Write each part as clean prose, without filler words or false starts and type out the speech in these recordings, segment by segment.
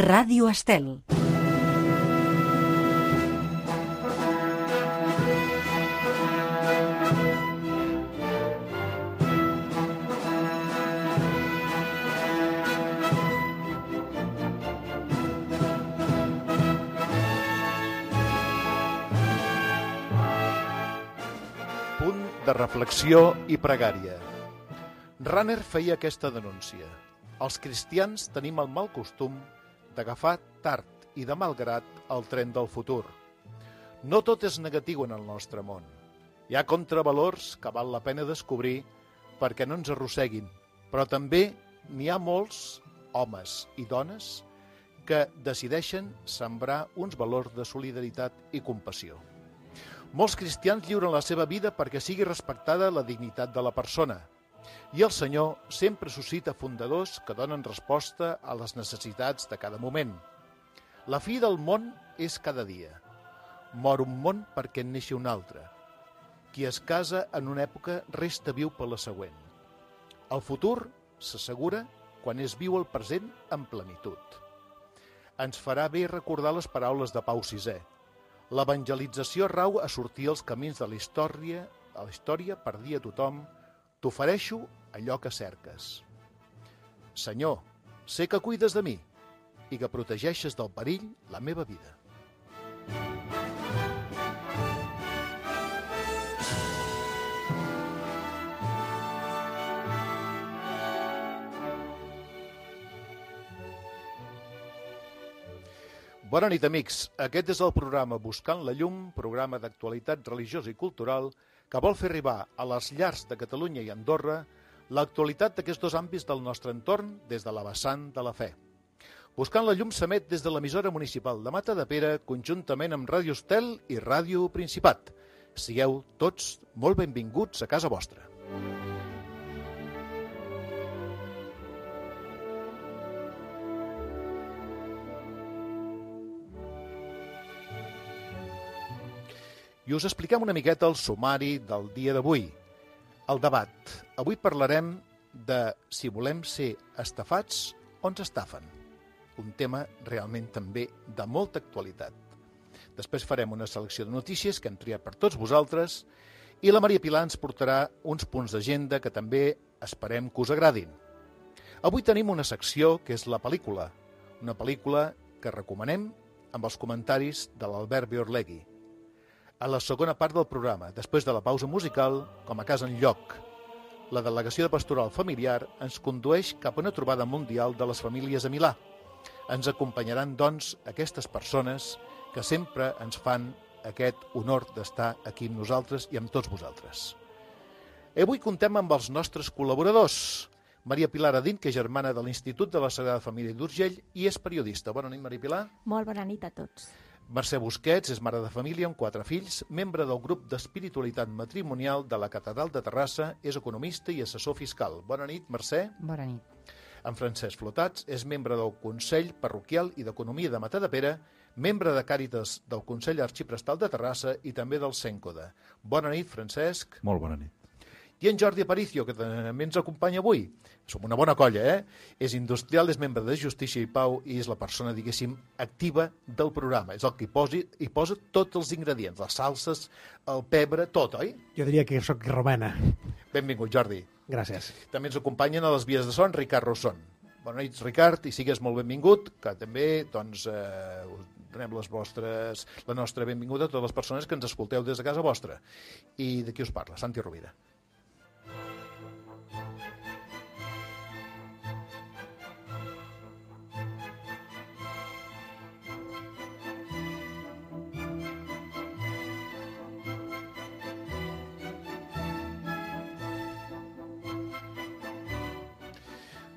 Ràdio Estel. Punt de reflexió i pregària. Runner feia aquesta denúncia. Els cristians tenim el mal costum d'agafar tard i de malgrat el tren del futur. No tot és negatiu en el nostre món. Hi ha contravalors que val la pena descobrir perquè no ens arrosseguin, però també n'hi ha molts homes i dones que decideixen sembrar uns valors de solidaritat i compassió. Molts cristians lliuren la seva vida perquè sigui respectada la dignitat de la persona. I el Senyor sempre suscita fundadors que donen resposta a les necessitats de cada moment. La fi del món és cada dia. Mor un món perquè en neixi un altre. Qui es casa en una època resta viu per la següent. El futur s'assegura quan es viu el present en plenitud. Ens farà bé recordar les paraules de Pau VI. L'evangelització rau a sortir als camins de la història per dir a tothom: t'ofereixo allò que cerques. Senyor, sé que cuides de mi i que protegeixes del perill la meva vida. Bona nit, amics. Aquest és el programa Buscant la Llum, programa d'actualitat religiosa i cultural que vol fer arribar a les llars de Catalunya i Andorra l'actualitat d'aquests dos àmbits del nostre entorn des de la vessant de la fe. Buscant la Llum s'emet des de l'emissora municipal de Matadepera conjuntament amb Ràdio Estel i Ràdio Principat. Sigueu tots molt benvinguts a casa vostra. I us expliquem una miqueta el sumari del dia d'avui. El debat. Avui parlarem de si volem ser estafats o ens estafen. Un tema realment també de molta actualitat. Després farem una selecció de notícies que hem triat per tots vosaltres i la Maria Pilar ens portarà uns punts d'agenda que també esperem que us agradin. Avui tenim una secció que és la pel·lícula. Una pel·lícula que recomanem amb els comentaris de l'Albert Biorlegui. A la segona part del programa, després de la pausa musical, com a cas enlloc, la delegació de pastoral familiar ens condueix cap a una trobada mundial de les famílies a Milà. Ens acompanyaran, doncs, aquestes persones que sempre ens fan aquest honor d'estar aquí amb nosaltres i amb tots vosaltres. Avui contem amb els nostres col·laboradors. Maria Pilar Adín, que és germana de l'Institut de la Sagrada Família d'Urgell i és periodista. Bona nit, Maria Pilar. Molt bona nit a tots. Mercè Busquets és mare de família amb 4 fills, membre del grup d'espiritualitat matrimonial de la Catedral de Terrassa, és economista i assessor fiscal. Bona nit, Mercè. Bona nit. En Francesc Flotats és membre del Consell Parroquial i d'Economia de Matadepera, membre de Càritas del Consell Arxiprestal de Terrassa i també del Cèncoda. Bona nit, Francesc. Molt bona nit. I en Jordi Aparicio, que també ens acompanya avui. Som una bona colla, És industrial, és membre de Justícia i Pau i és la persona, diguéssim, activa del programa. És el que hi posa tots els ingredients, les salses, el pebre, tot, oi? Jo diria que sóc romana. Benvingut, Jordi. Gràcies. També ens acompanyen a les vies de son Ricard Rosson. Bona nit, Ricard, i sigues molt benvingut, que també, doncs, donem la nostra benvinguda a totes les persones que ens escolteu des de casa vostra. I de qui us parla? Santi Rovira.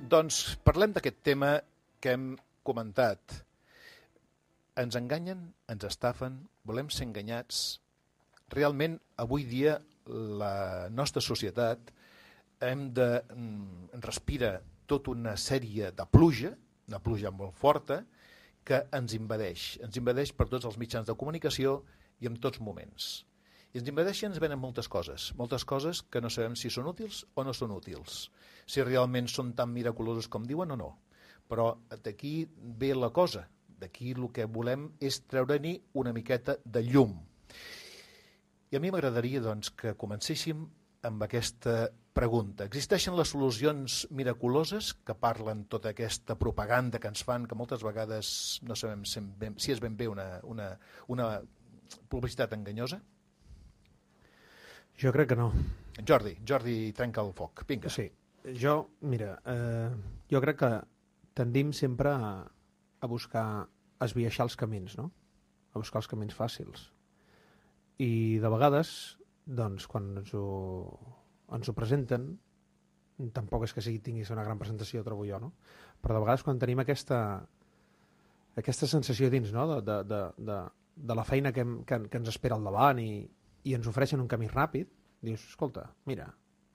Doncs parlem d'aquest tema que hem comentat. Ens enganyen, ens estafen, volem ser enganyats. Realment, avui dia, la nostra societat respira tota una sèrie de pluja, una pluja molt forta, que ens invadeix. Ens invadeix per tots els mitjans de comunicació i en tots moments. I ens invadeixen, ens venen moltes coses que no sabem si són útils o no són útils, si realment són tan miraculosos com diuen o no. Però d'aquí ve la cosa. D'aquí el que volem és treure-n'hi una miqueta de llum. I a mi m'agradaria doncs, que comencéssim amb aquesta pregunta. Existeixen les solucions miraculoses que parlen tota aquesta propaganda que ens fan, que moltes vegades no sabem si és ben bé una publicitat enganyosa? Jo crec que no. Jordi, trenca el foc. Vinga. Sí. Mira, jo crec que tendim sempre a buscar esbiaixar els camins, no? A buscar els camins fàcils. I de vegades, doncs, quan ens ho presenten, tampoc és que tinguis una gran presentació, trobo jo, no? Però de vegades quan tenim aquesta sensació dins, no? de la feina que ens espera al davant i ens ofereixen un camí ràpid, dius, escolta, mira,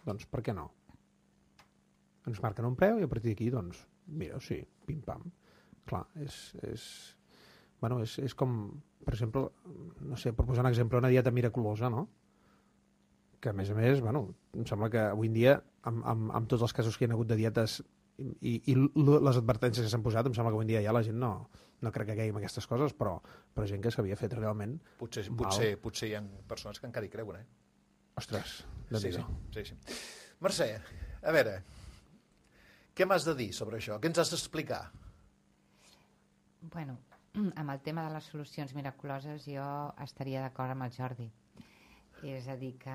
doncs per què no? Ens marquen un preu i a partir d'aquí, doncs, mira, sí, pim-pam. Clar, és com, per exemple, no sé, per posar un exemple, una dieta miraculosa, no? Que, a més, em sembla que avui en dia, amb tots els casos que hi ha hagut de dietes i les advertències que s'han posat, em sembla que avui en dia ja la gent no crec que caigui en aquestes coses, però gent que s'havia fet realment Potser hi ha persones que encara hi creuen, Ostres, sí. Mercè, a veure, què m'has de dir sobre això? Què ens has d'explicar? Bueno, amb el tema de les solucions miraculoses jo estaria d'acord amb el Jordi. És a dir, que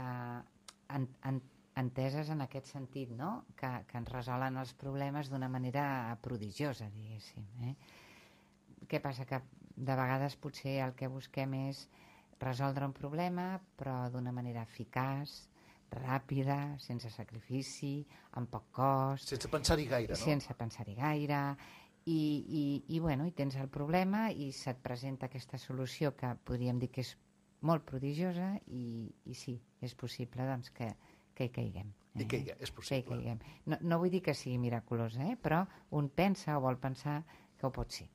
enteses en aquest sentit, no? Que ens resolen els problemes d'una manera prodigiosa, diguéssim. Què passa? Que de vegades potser el que busquem és resoldre un problema, però d'una manera eficaç, ràpida, sense sacrifici, amb poc cost... Sense pensar-hi gaire, no? Sense pensar-hi gaire... I tens el problema i se't presenta aquesta solució que podríem dir que és molt prodigiosa i sí, és possible doncs, que hi caiguem. I que és possible. Que hi caiguem. No vull dir que sigui miraculosa, però un pensa o vol pensar que ho pot ser.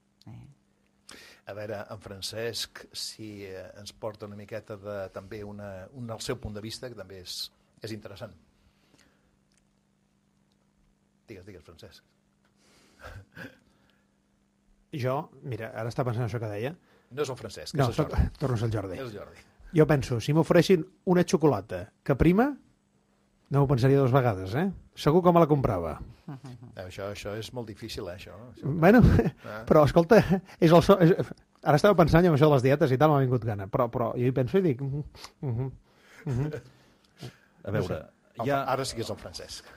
A veure, en Francesc, si ens porta una miqueta també el seu punt de vista, que també és interessant. Digues, Francesc. Jo, mira, ara està pensant això que deia. No és el Francesc, no, és el Jordi. Torno a ser el Jordi. És el Jordi. Jo penso, si m'ofereixin una xocolata que prima, no ho pensaria dues vegades, Segur que me la comprava. Això és molt difícil, això. Bueno, però, escolta, ara estava pensant en això de les dietes i tal, m'ha vingut gana, però jo hi penso i dic... A veure, ara sí que és el Francesc.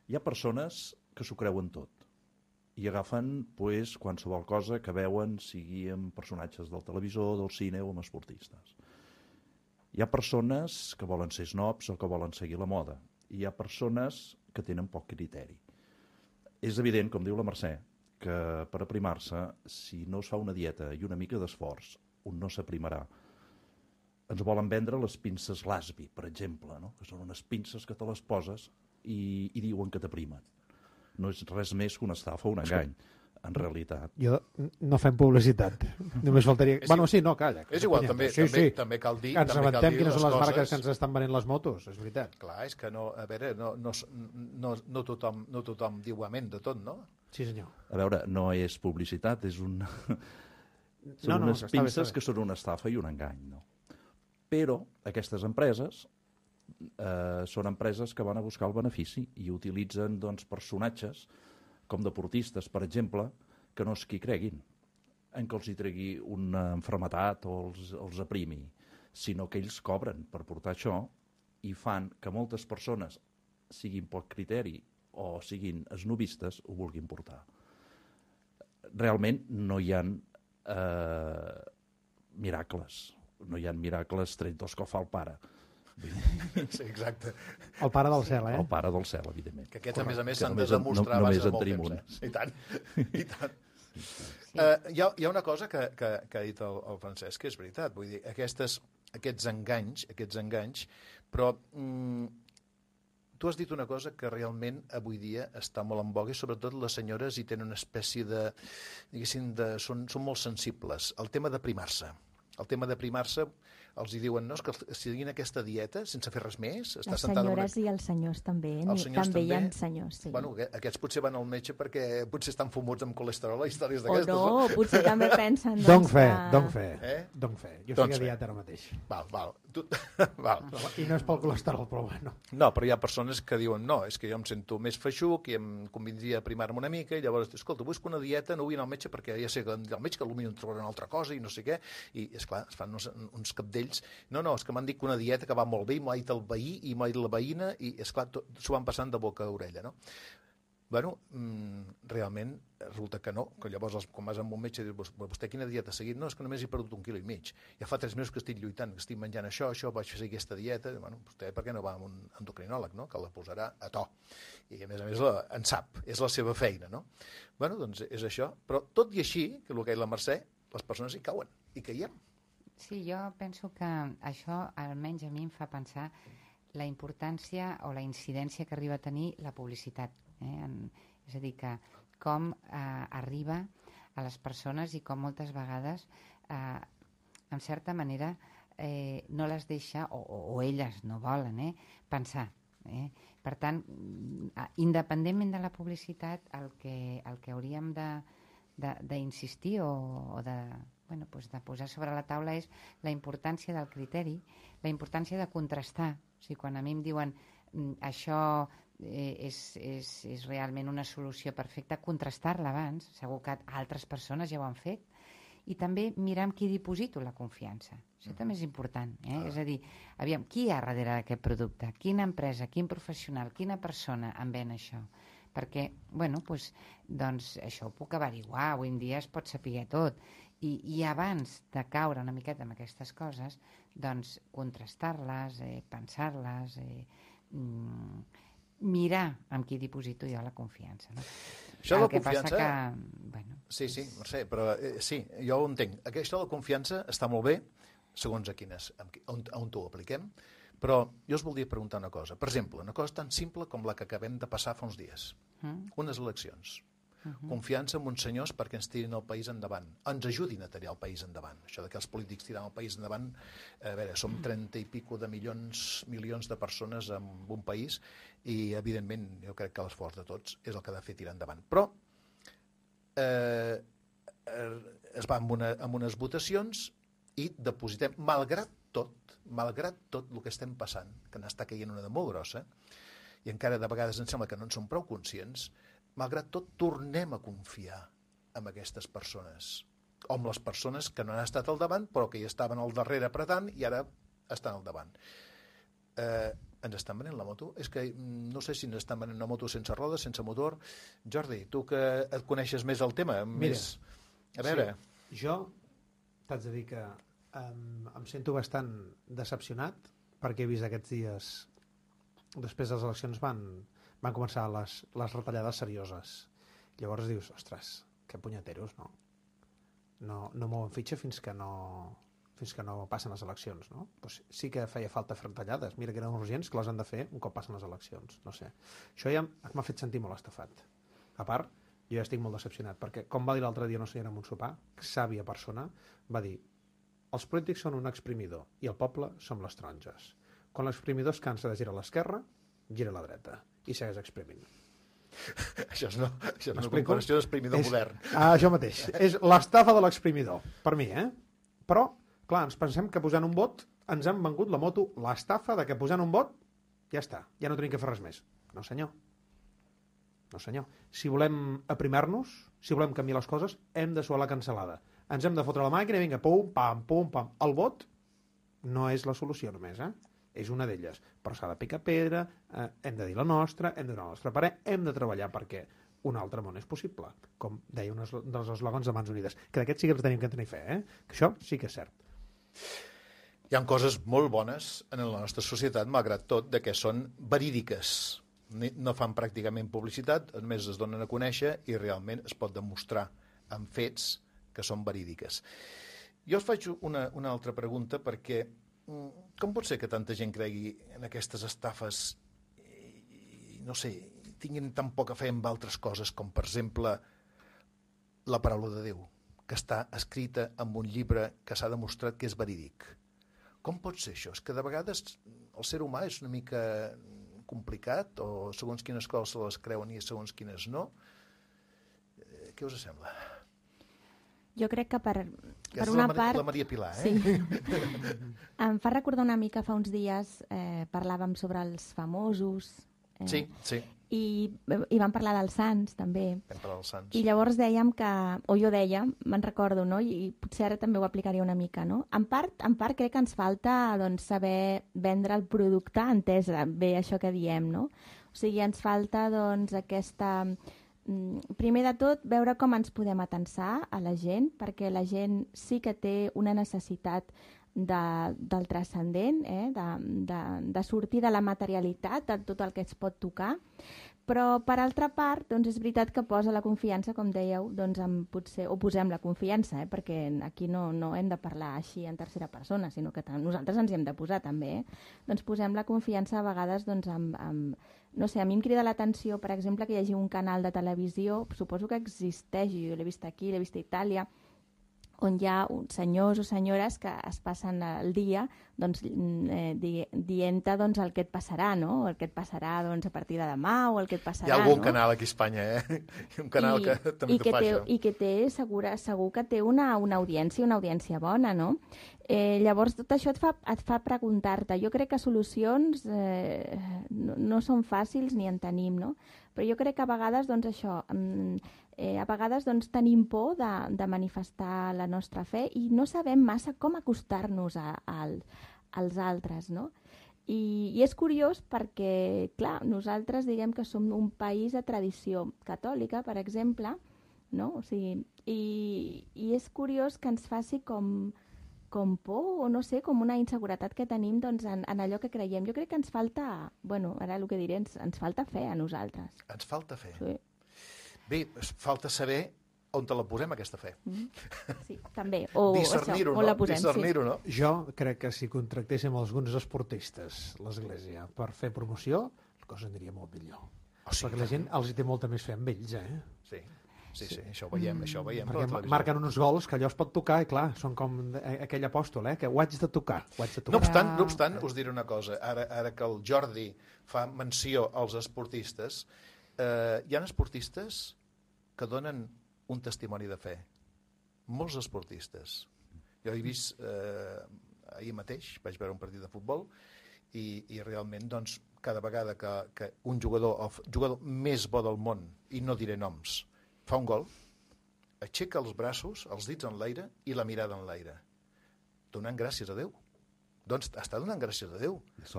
Hi ha persones que s'ho creuen tot i agafen qualsevol cosa que veuen, sigui amb personatges del televisor, del cine o amb esportistes. Hi ha persones que volen ser snobs o que volen seguir la moda. I hi ha persones que tenen poc criteri. És evident, com diu la Mercè, que per aprimar-se, si no es fa una dieta i una mica d'esforç, un no s'aprimarà. Ens volen vendre les pinces Lasby, per exemple, no? Que són unes pinces que te les poses i diuen que t'aprimen. No és res més que una estafa o un engany, en realitat. Jo no fem publicitat. Només faltaria... Calla. És igual, també cal dir... Ens abentem quines són les marques que ens estan venent les motos, és veritat. Clar, és que no tothom diu amén de tot, no? Sí, senyor. A veure, no és publicitat, és una... Són unes pinces que són una estafa i un engany, no? Però aquestes empreses són empreses que van a buscar el benefici i utilitzen personatges com deportistes, per exemple, que no és qui creguin en que els hi tregui una malaltia o els aprimi, sinó que ells cobren per portar això i fan que moltes persones, siguin poc criteri o siguin esnovistes, ho vulguin portar. Realment no hi ha miracles. No hi ha miracles tret dels que fa el pare. Sí, exacte. El pare del cel, El pare del cel, evidentment. Que aquests, a més s'han de demostrar abans de molt temps. I tant. Hi ha una cosa que ha dit el Francesc, que és veritat. Vull dir, aquests enganys, però tu has dit una cosa que realment avui dia està molt en voga i sobretot les senyores hi tenen una espècie de... diguéssim, són molt sensibles. El tema d'aprimar-se. El tema de primar-se, els hi diuen, no, és que seguint aquesta dieta, sense fer res més, les senyores i els senyors també, també hi ha senyors, sí. Bueno, aquests potser van al metge perquè potser estan fumuts amb colesterol i històries o d'aquestes. no, potser també pensen... Don fe. Jo Doncs estic a dieta ara mateix. Val. I no és pel colesterol, però bueno. No, però hi ha persones que diuen, no, és que jo em sento més feixuc i em convindria primar-me una mica, i llavors, escolta, busco una dieta, no vull anar al metge perquè ja sé que el metge que potser em trobarà una altra cosa i no sé què, i esclar, es fan uns capdells. No, és que m'han dit que una dieta que va molt bé i m'ha dit el veí i m'ha dit la veïna i, esclar, s'ho van passant de boca a orella, no? Bueno, realment resulta que no, que llavors quan vas amb un metge i dius, vostè quina dieta ha seguit? No, és que només he perdut 1,5 quilòmetres. Ja fa 3 mesos que estic lluitant, que estic menjant això, vaig fer aquesta dieta. Bueno, vostè per què no va amb un endocrinòleg, no? Que la posarà a to. I a més en sap, és la seva feina, no? Bueno, doncs és això. Però tot i així, que el que ha dit la Mercè, les persones hi cauen, hi caiem. Sí, jo penso que això almenys a mi em fa pensar la importància o la incidència que arriba a tenir la publicitat. És a dir, que com arriba a les persones i com moltes vegades, en certa manera, no les deixa, o elles no volen, pensar. Per tant, independentment de la publicitat, el que hauríem d'insistir o de posar sobre la taula és la importància del criteri, la importància de contrastar. O sigui, quan a mi em diuen això és realment una solució perfecta, contrastar-la abans, segur que altres persones ja ho han fet, i també mirar amb qui diposito la confiança. Això també és important. És a dir, aviam, qui hi ha darrere d'aquest producte? Quina empresa, quin professional, quina persona em ven això? Perquè, doncs això ho puc averiguar, avui en dia es pot saber tot. I abans de caure una miqueta en aquestes coses, doncs contrastar-les, pensar-les, mirar amb qui diposito jo la confiança. No? Això de la confiança... Que, Sí, Mercè, però sí, jo ho entenc. Això de la confiança està molt bé, segons on ho apliquem, però jo us voldria preguntar una cosa. Per exemple, una cosa tan simple com la que acabem de passar fa uns dies. Unes eleccions. Confiança en uns senyors perquè ens tirin el país endavant, ens ajudin a tirar el país endavant. Això de que els polítics tiren el país endavant, a veure, som 30 i pico de milions de persones en un país i, evidentment, jo crec que l'esforç de tots és el que ha de fer tirar endavant. Però es va amb unes votacions i depositem, malgrat tot el que estem passant, que n'està caient una de molt grossa, i encara de vegades em sembla que no en som prou conscients, malgrat tot, tornem a confiar en aquestes persones, o en les persones que no han estat al davant, però que hi estaven al darrere apretant i ara estan al davant. Ens estan venent la moto? És que no sé si ens estan venent una moto sense rodes, sense motor. Jordi, tu que et coneixes més el tema, Mira, a veure... Sí, jo t'haig de dir que em sento bastant decepcionat perquè he vist aquests dies, després de les eleccions van començar les retallades serioses. Llavors dius, ostres, que punyeteros, no? No mouen fitxa fins que no passen les eleccions, no? Pues sí que feia falta fer retallades. Mira que eren urgents, que les han de fer un cop passen les eleccions. No sé. Això ja m'ha fet sentir molt estafat. A part, jo ja estic molt decepcionat, perquè, com va dir l'altre dia una senyora en un sopar, sàvia persona, va dir, els polítics són un exprimidor i el poble som les taronges. Quan l'exprimidor es cansa de girar a l'esquerra, gira a la dreta i segueix exprimint. Això és una comparació d'exprimidor modern. Això mateix. És l'estafa de l'exprimidor, per mi, Però, clar, ens pensem que posant un vot ens han vengut la moto, l'estafa de que posant un vot ja està, ja no tenim que fer res més. No, senyor. No, senyor. Si volem aprimar-nos, si volem canviar les coses, hem de suar la cancel·lada. Ens hem de fotre la màquina i vinga, pum, pam, pum, pam. El vot no és la solució només, és una d'elles, però s'ha de picar pedra, hem de dir la nostra, hem de donar el nostre parer, hem de treballar perquè un altre món és possible, com deia un dels eslògans de Mans Unides, que d'aquests sí que ens tenim que tenir fe, que això sí que és cert. Hi ha coses molt bones en la nostra societat, malgrat tot, de que són verídiques. No fan pràcticament publicitat, només es donen a conèixer i realment es pot demostrar amb fets que són verídiques. Jo us faig una altra pregunta perquè com pot ser que tanta gent cregui en aquestes estafes i no sé, tinguin tan poca fe en altres coses com, per exemple, la paraula de Déu, que està escrita en un llibre que s'ha demostrat que és verídic. Com pot ser això? És que de vegades el ser humà és una mica complicat, o segons quines coses se les creuen i segons quines no. Què us sembla? Jo crec que per és una part... la Maria Pilar, Sí. Em fa recordar una mica, fa uns dies parlàvem sobre els famosos. Sí. I vam parlar dels sants, també. Vam parlar dels sants. I llavors dèiem que, o jo deia, me'n recordo, no? I potser ara també ho aplicaria una mica, no? En part crec que ens falta doncs, saber vendre el producte, entès bé això que diem, no? O sigui, ens falta doncs aquesta... Primer de tot, veure com ens podem atensar a la gent, perquè la gent sí que té una necessitat del transcendent, de sortir de la materialitat, de tot el que es pot tocar, però per altra part doncs és veritat que posa la confiança, com dèieu, doncs potser, o posem la confiança, perquè aquí no hem de parlar així en tercera persona, sinó que nosaltres ens hi hem de posar també, doncs posem la confiança a vegades doncs, no sé, a mi em crida l'atenció, per exemple, que hi hagi un canal de televisió, suposo que existeix, jo l'he vist aquí, l'he vist a Itàlia, on hi ha senyors o senyores que es passen el dia doncs, dient-te doncs, el que et passarà, no? El que et passarà doncs, a partir de demà o el que et passarà. Hi ha algun canal aquí a Espanya, un canal que també fa això. I que té, segur que té una audiència bona, no? Llavors tot això et fa preguntar-te. Jo crec que solucions no són fàcils ni en tenim, no? Però jo crec que a vegades doncs, això... a vegades doncs, tenim por de manifestar la nostra fe i no sabem massa com acostar-nos als altres, no? I és curiós perquè, clar, nosaltres diguem que som un país de tradició catòlica, per exemple, no? O sigui, i és curiós que ens faci com por o no sé, com una inseguretat que tenim doncs, en allò que creiem. Jo crec que ens falta, bueno, ara el que diré, ens falta fe a nosaltres. Ens falta fe. Sí. Bé, falta saber on te la posem, aquesta fe. Sí, també. O discernir-ho, no? La posem, discernir-ho, sí. no? Jo crec que si contractéssim alguns esportistes, l'Església, per fer promoció, la cosa aniria molt millor. Perquè la gent els hi té molta més fe amb ells, Sí, això ho veiem. Perquè marquen uns gols que allò es pot tocar i clar, són com aquell apòstol, que ho haig de tocar. No obstant, us diré una cosa. Ara que el Jordi fa menció als esportistes, hi ha esportistes que donen un testimoni de fe. Molts esportistes. Jo he vist ahir mateix, vaig veure un partit de futbol i realment doncs, cada vegada que un jugador, el jugador més bo del món, i no diré noms, fa un gol, aixeca els braços, els dits en l'aire i la mirada en l'aire, donant gràcies a Déu. Doncs està donant gràcies a Déu. I es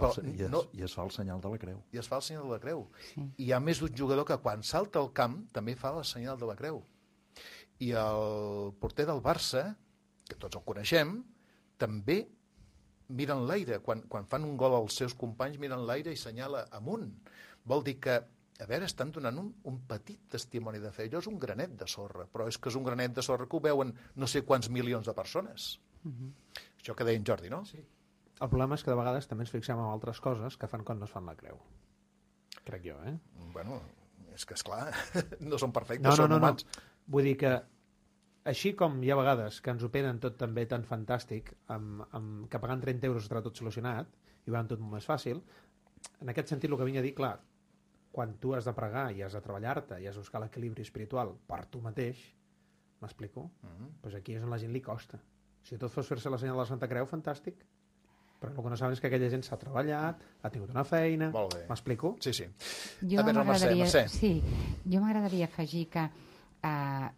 fa el senyal de la creu. I es fa el senyal de la creu. Sí. I hi ha més d'un jugador que quan salta al camp també fa el senyal de la creu. I el porter del Barça, que tots el coneixem, també mira en l'aire. Quan fan un gol als seus companys, mira en l'aire i senyala amunt. Vol dir que, a veure, estan donant un petit testimoni de fe. Allò és un granet de sorra, però és que és un granet de sorra que ho veuen no sé quants milions de persones. Això que deia en Jordi, no? Sí. El problema és que de vegades també ens fixem en altres coses que fan quan no es fan la creu. Crec jo, Bueno, és que esclar, no són perfectes, són humans. Vull dir que així com hi ha vegades que ens ho penen tot també tan fantàstic, que pagant 30 euros estarà tot solucionat i va tot molt més fàcil, en aquest sentit el que vinc a dir, clar, quan tu has de pregar i has de treballar-te i has de buscar l'equilibri espiritual per tu mateix, m'explico? Doncs aquí és on la gent li costa. Si tot fos fer-se la senyal de la Santa Creu, fantàstic. Però el que no saben és que aquella gent s'ha treballat, ha tingut una feina... M'explico? Sí. Jo m'agradaria afegir que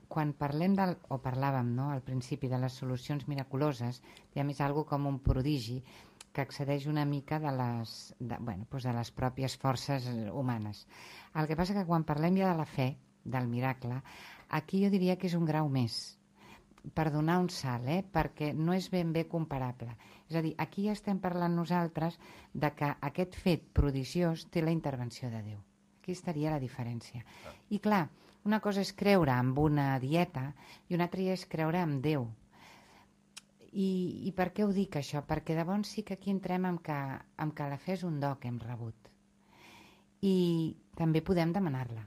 quan parlem o parlàvem al principi de les solucions miraculoses, hi ha més algo com un prodigi que excedeix una mica de les pròpies forces humanes. El que passa que quan parlem ja de la fe, del miracle, aquí jo diria que és un grau més, per donar un salt, perquè no és ben bé comparable. És a dir, aquí ja estem parlant nosaltres de que aquest fet prodigiós té la intervenció de Déu. Aquí estaria la diferència. I clar, una cosa és creure en una dieta i una altra és creure en Déu. I per què ho dic, això? Perquè llavors sí que aquí entrem amb que la fe és un do que hem rebut. I també podem demanar-la.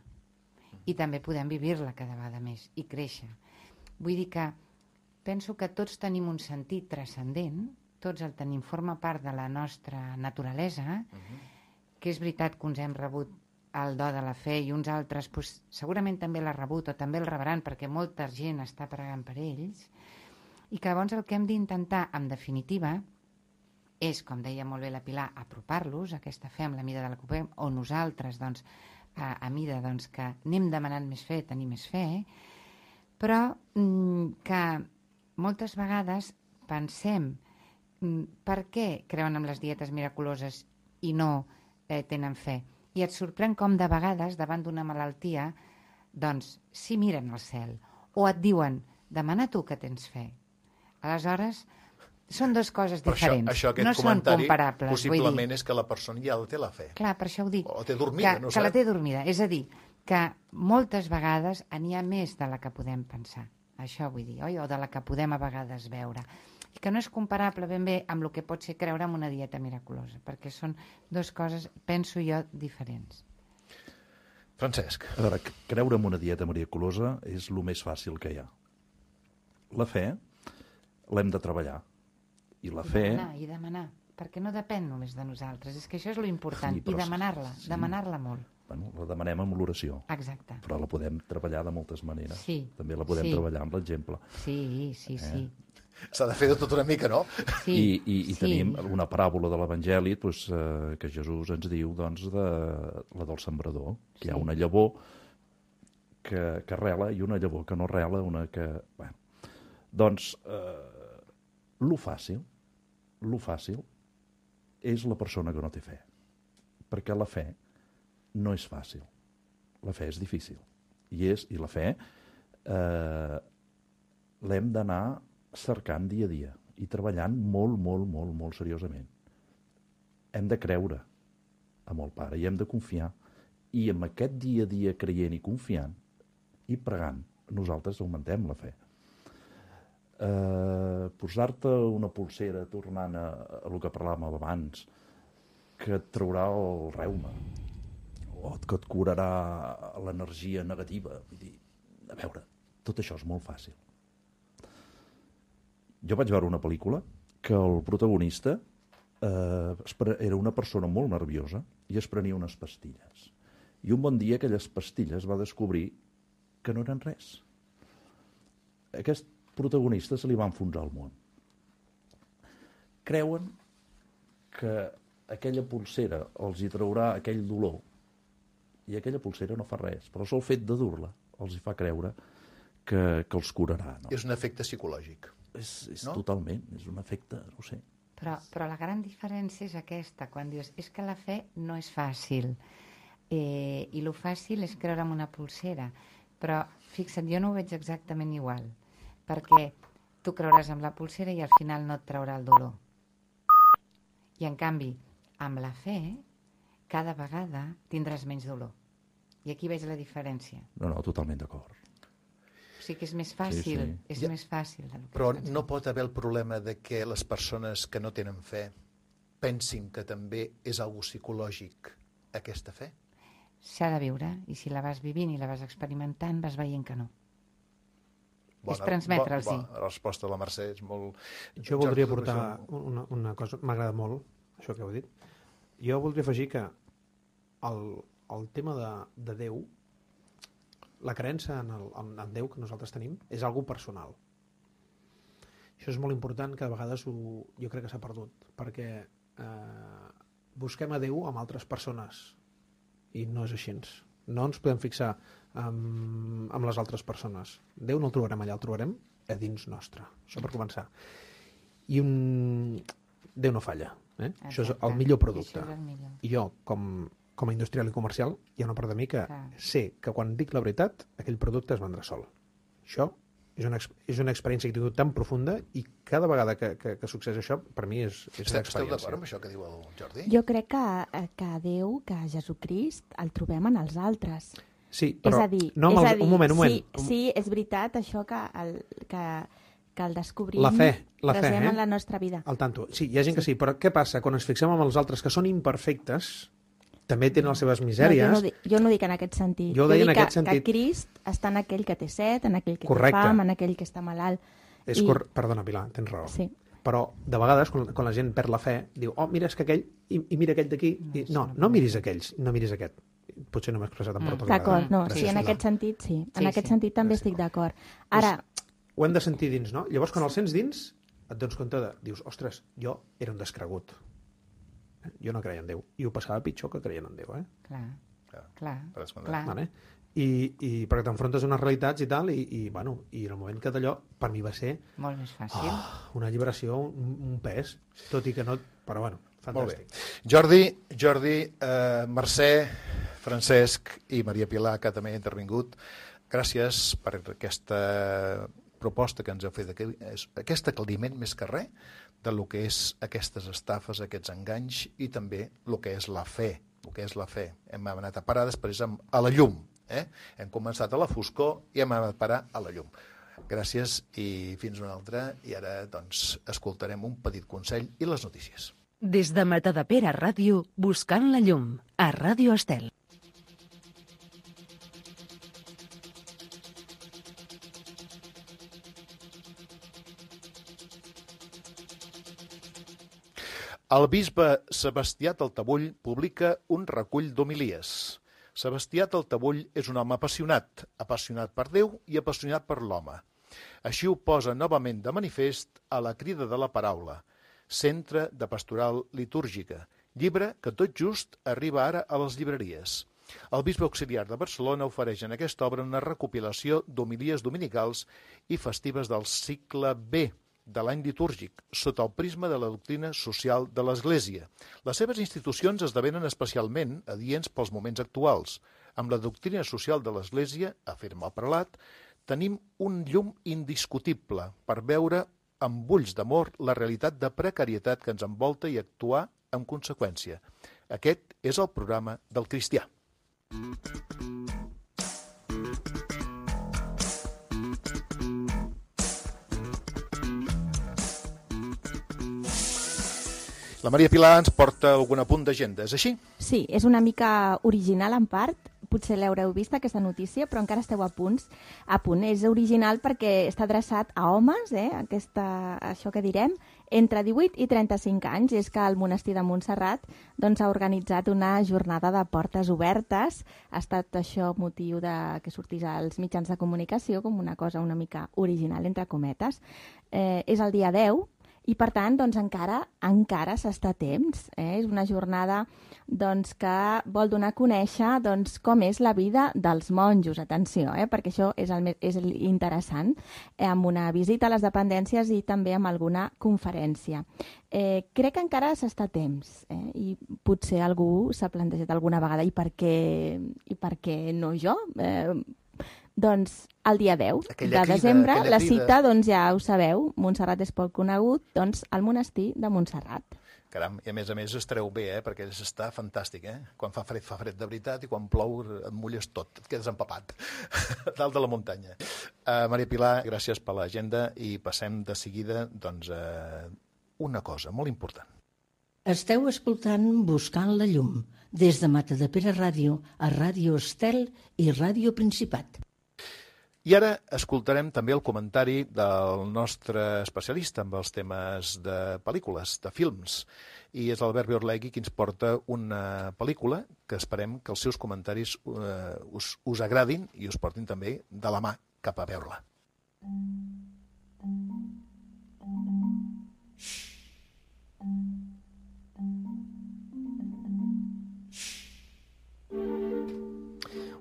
I també podem vivir-la cada vegada més i créixer. Vull dir que penso que tots tenim un sentit transcendent, tots el tenim, forma part de la nostra naturalesa, que és veritat que uns hem rebut el do de la fe i uns altres doncs, segurament també l'ha rebut o també el rebran perquè molta gent està pregant per ells, i que llavors el que hem d'intentar, en definitiva, és, com deia molt bé la Pilar, apropar-los a aquesta fe amb la mida de la que puguem, o nosaltres, doncs, a mida doncs, que anem demanant més fe, tenir més fe, però que moltes vegades pensem per què creuen en les dietes miraculoses i no tenen fe. I et sorprèn com de vegades, davant d'una malaltia, doncs, sí miren al cel, o et diuen, demana tu que tens fe. Aleshores, són dues coses diferents. Això, aquest no són comparables. Possiblement és que la persona ja té la fe. Clar, per això ho dic. O té dormida, no que la té dormida. És a dir, que moltes vegades n'hi ha més de la que podem pensar. Això vull dir, oi? O de la que podem a vegades veure. I que no és comparable ben bé amb el que pot ser creure en una dieta miraculosa, perquè són dues coses, penso jo, diferents. Francesc. A veure, creure en una dieta miraculosa és el més fàcil que hi ha. La fe l'hem de treballar. I la fe... I demanar, perquè no depèn només de nosaltres. És que això és lo important. Sí, però I demanar-la, sí. demanar-la molt. Bueno, la demanem amb l'oració. Exacte. Però la podem treballar de moltes maneres. Sí. També la podem treballar amb l'exemple. Sí. S'ha de fer de tot una mica, no? Sí. I tenim una paràbola de l'Evangeli doncs, que Jesús ens diu doncs, de la del sembrador, que hi ha una llavor que rela i una llavor que no rela, una que... Bueno, doncs, lo fàcil és la persona que no té fe. Perquè la fe no és fàcil. La fe és difícil. I la fe l'hem d'anar cercant dia a dia i treballant molt seriosament. Hem de creure amb el Pare i hem de confiar. I amb aquest dia a dia creient i confiant i pregant, nosaltres augmentem la fe. Posar-te una pulsera, tornant a el que parlàvem abans, que et traurà el reuma o que et curarà l'energia negativa. Vull dir, a veure, tot això és molt fàcil. Jo vaig veure una pel·lícula que el protagonista era una persona molt nerviosa i es prenia unes pastilles. I un bon dia aquelles pastilles va descobrir que no eren res. Aquest protagonista se li va enfonsar el món. Creuen que aquella pulsera els hi traurà aquell dolor i aquella pulsera no fa res, però el sol fet de dur-la els hi fa creure que els curarà. No? És un efecte psicològic. És no? Totalment, és un efecte, no ho sé. Però la gran diferència és aquesta, quan dius, és que la fe no és fàcil, i lo fàcil és creure en una pulsera, però fixa't, jo no ho veig exactament igual, perquè tu creuràs en la pulsera i al final no et traurà el dolor. I en canvi, amb la fe, cada vegada tindràs menys dolor. I aquí veig la diferència. No, totalment d'acord. O sigui que és més fàcil, és més fàcil. Però no pot haver el problema de que les persones que no tenen fe pensin que també és algo psicològic aquesta fe? S'ha de viure, i si la vas vivint i la vas experimentant, vas veient que no. És transmetre'ls-hi. La resposta de la Mercè és molt... Jo voldria aportar una cosa, m'agrada molt, això que heu dit. Jo voldria afegir que el tema de Déu, la creença en Déu que nosaltres tenim és algo personal. Això és molt important, que de vegades jo crec que s'ha perdut, perquè busquem a Déu amb altres persones i no és així. No ens podem fixar amb les altres persones. Déu no el trobarem allà, el trobarem a dins nostre. Això per començar. I Déu no falla. Això és el millor producte. I jo, com a industrial i comercial, hi ha una part de mi que sé que quan dic la veritat, aquell producte es vendrà sol. Això és una experiència que he tingut tan profunda i cada vegada que succeeix això, per mi és una experiència. Esteu d'acord amb això que diu el Jordi? Jo crec que Déu, que Jesucrist, el trobem en els altres. Sí, però és a dir, un moment. Sí, és veritat això que el descobrim la fe, en la nostra vida. Al tanto. Sí, hi ha gent que sí, però què passa? Quan ens fixem en els altres que són imperfectes, també tenen les seves misèries. No, jo no dic en aquest sentit. Jo dic que Crist està en aquell que té set, en aquell que Correcte. té fam, en aquell que està malalt. Perdona, Pilar, tens raó. Sí. Però de vegades, quan la gent perd la fe, diu, oh, mira, és que aquell, i mira aquell d'aquí. No miris aquells, no miris aquest. Potser no m'he expressat amb prou tota D'acord, no, Gràcies, sí, en Pilar. aquest sentit sí. En aquest sentit també estic d'acord. Ara, Ho hem de sentir dins, no? Llavors, quan el sents dins, et dones compte dius, ostres, jo era un descregut. Jo no creia en Déu. I ho passava pitjor que creien en Déu, Clar. Vale? I perquè t'enfrontes a unes realitats i tal, i en el moment que d'allò, per mi va ser Molt més fàcil. una alliberació, un pes, tot i que no... Però bueno, Molt bé. fantàstic. Jordi, Mercè, Francesc i Maria Pilar, que també ha intervingut, gràcies per aquesta proposta que ens heu fet, aquest aclariment més que res de lo que és aquestes estafes, aquests enganys i també el que és la fe. Hem anat a parar després a la llum. Hem començat a la foscor i hem anat a parar a la llum. Gràcies i fins una altra. I ara doncs escoltarem un petit consell i les notícies. Des de Matadepera Ràdio, buscant la llum, a Ràdio Estel. El bisbe Sebastià Taltabull publica un recull d'homilies. Sebastià Taltabull és un home apassionat per Déu i apassionat per l'home. Així ho posa novament de manifest a La crida de la paraula, Centre de Pastoral Litúrgica, llibre que tot just arriba ara a les llibreries. El bisbe auxiliar de Barcelona ofereix en aquesta obra una recopilació d'homilies dominicals i festives del cicle B de l'any litúrgic, sota el prisma de la doctrina social de l'Església. Les seves institucions esdevenen especialment adients pels moments actuals. Amb la doctrina social de l'Església, afirma el prelat, tenim un llum indiscutible per veure amb ulls d'amor la realitat de precarietat que ens envolta i actuar en conseqüència. Aquest és el programa del cristià. La Maria Pilar ens porta algun apunt d'agenda, és així? sí, és una mica original en part, potser l'haureu vist aquesta notícia, però encara esteu a punt. És original perquè està adreçat a homes, això que direm, entre 18 i 35 anys. És que el monestir de Montserrat ha organitzat una jornada de portes obertes. Ha estat això motiu que sortís als mitjans de comunicació com una cosa una mica original, entre cometes. És el dia 10, i per tant encara s'està a temps. És una jornada que vol donar a conèixer com és la vida dels monjos. Atenció, perquè això és interessant, amb una visita a les dependències i també amb alguna conferència. Crec que encara s'està a temps, i potser algú s'ha plantejat alguna vegada i per què no jo? Doncs el dia 10 de desembre, la cita, ja ho sabeu, Montserrat és poc conegut, al monestir de Montserrat. Caram, i a més estareu bé, perquè està fantàstic, Quan fa fred de veritat, i quan plou et mulles tot, et quedes empapat, dalt de la muntanya. Maria Pilar, gràcies per l'agenda i passem de seguida a una cosa molt important. Esteu escoltant Buscant la llum, des de Matadepera Ràdio a Ràdio Estel i Ràdio Principat. I ara escoltarem també el comentari del nostre especialista amb els temes de pel·lícules, de films. I és l'Albert Biorlegui qui ens porta una pel·lícula que esperem que els seus comentaris us agradin i us portin també de la mà cap a veure-la.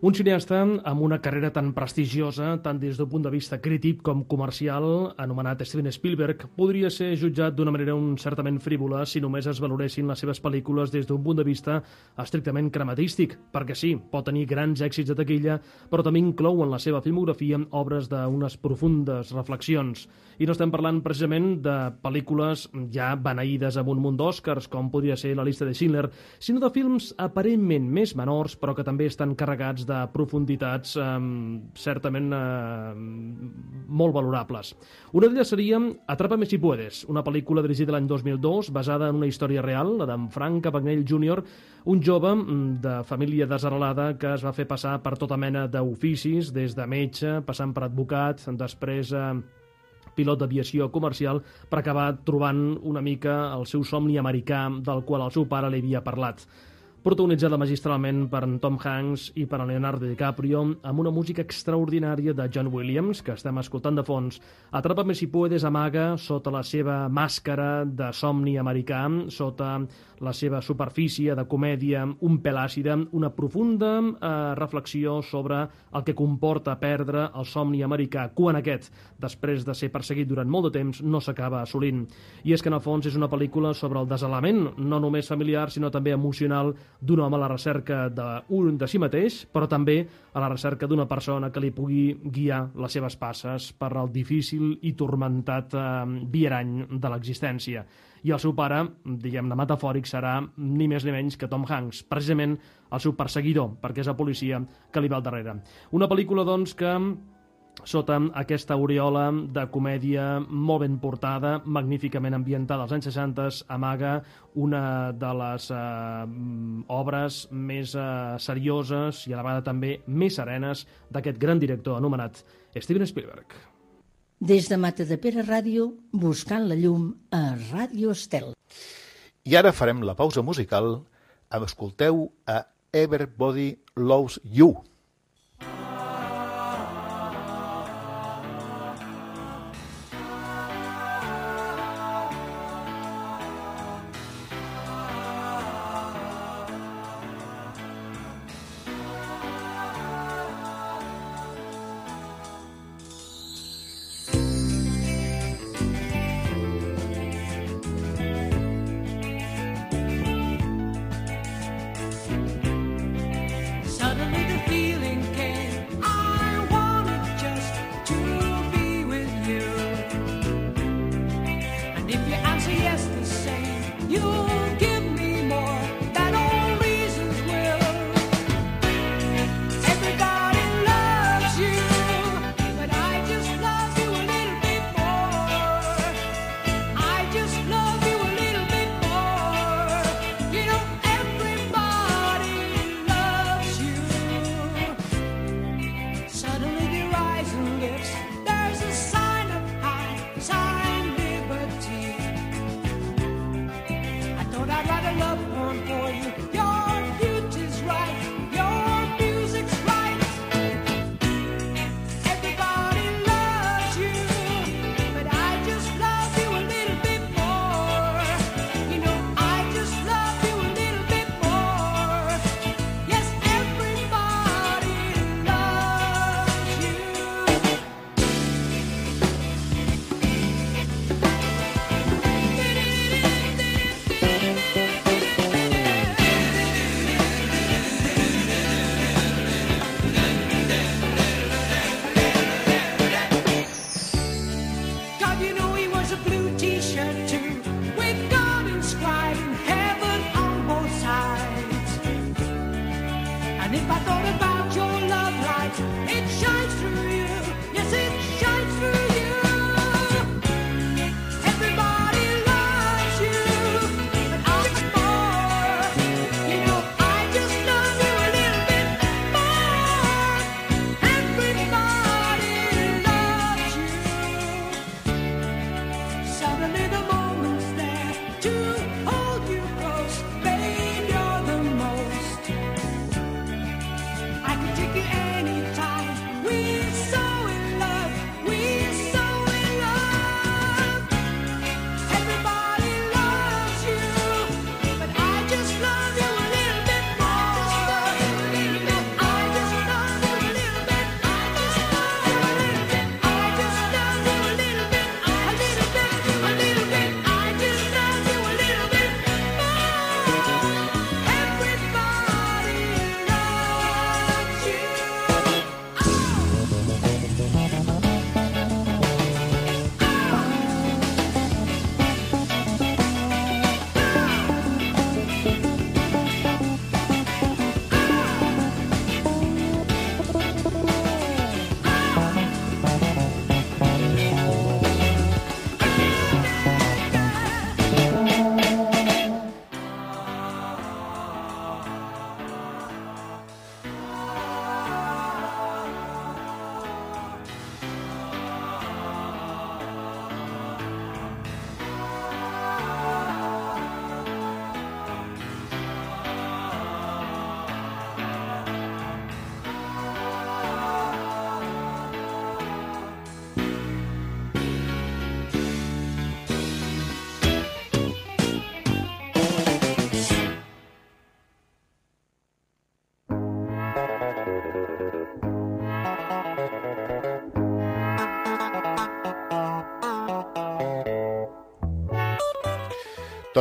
Un cineasta amb una carrera tan prestigiosa, tant des d'un punt de vista crític com comercial, anomenat Steven Spielberg, podria ser jutjat d'una manera certament frívola si només es valoressin les seves pel·lícules des d'un punt de vista estrictament crematístic, perquè sí, pot tenir grans èxits de taquilla, però també inclou en la seva filmografia obres d'unes profundes reflexions. I no estem parlant precisament de pel·lícules ja beneïdes amb un munt d'Oscars, com podria ser La llista de Schindler, sinó de films aparentment més menors, però que també estan carregats de profunditats certament molt valorables. Una d'elles seria Atrápame si puedes, una pel·lícula dirigida l'any 2002, basada en una història real, la d'en Frank Abagnale Jr., un jove de família desarrelada que es va fer passar per tota mena d'oficis, des de metge, passant per advocat, després pilot d'aviació comercial, per acabar trobant una mica el seu somni americà del qual el seu pare li havia parlat. Protagonitzada magistralment per en Tom Hanks i per en Leonardo DiCaprio, amb una música extraordinària de John Williams, que estem escoltant de fons. Atrápame si puedes amaga sota la seva màscara de somni americà, sota la seva superfície de comèdia un pèl àcida, una profunda reflexió sobre el que comporta perdre el somni americà quan aquest, després de ser perseguit durant molt de temps, no s'acaba assolint. I és que en el fons és una pel·lícula sobre el desalament, no només familiar, sinó també emocional, d'un home a la recerca de si mateix, però també a la recerca d'una persona que li pugui guiar les seves passes per el difícil i turmentat viarany de l'existència. I el seu pare, diguem-ne metafòric, serà ni més ni menys que Tom Hanks, precisament el seu perseguidor, perquè és el policia que li va al darrere. Una pel·lícula, doncs, que sota aquesta aureola de comèdia molt ben portada, magníficament ambientada als anys 60, amaga una de les obres més serioses i a la vegada també més serenes d'aquest gran director anomenat Steven Spielberg. Des de Matadepera Ràdio, buscant la llum a Ràdio Estel. I ara farem la pausa musical. Escolteu a Everybody Loves You.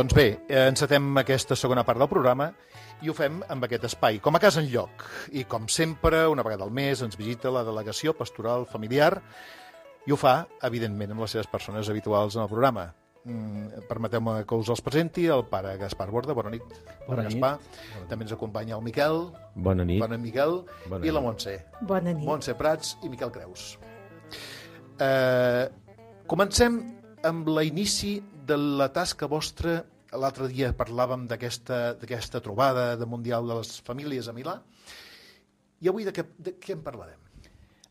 Doncs bé, encetem aquesta segona part del programa i ho fem amb aquest espai, com a casa enlloc. I com sempre, una vegada al mes ens visita la delegació pastoral familiar i ho fa, evidentment, amb les seves persones habituals en el programa. Permeteu-me que us els presenti, el pare Gaspar Borda, bona nit. Bona nit. Gaspar. També ens acompanya el Miquel. Bona nit. Bona Miquel. Bona I la nit. Montse. Bona nit. Montse Prats i Miquel Creus. Comencem amb l'inici de la tasca vostra. L'altre dia parlàvem d'aquesta trobada de Mundial de les Famílies a Milà. I avui de què en parlarem?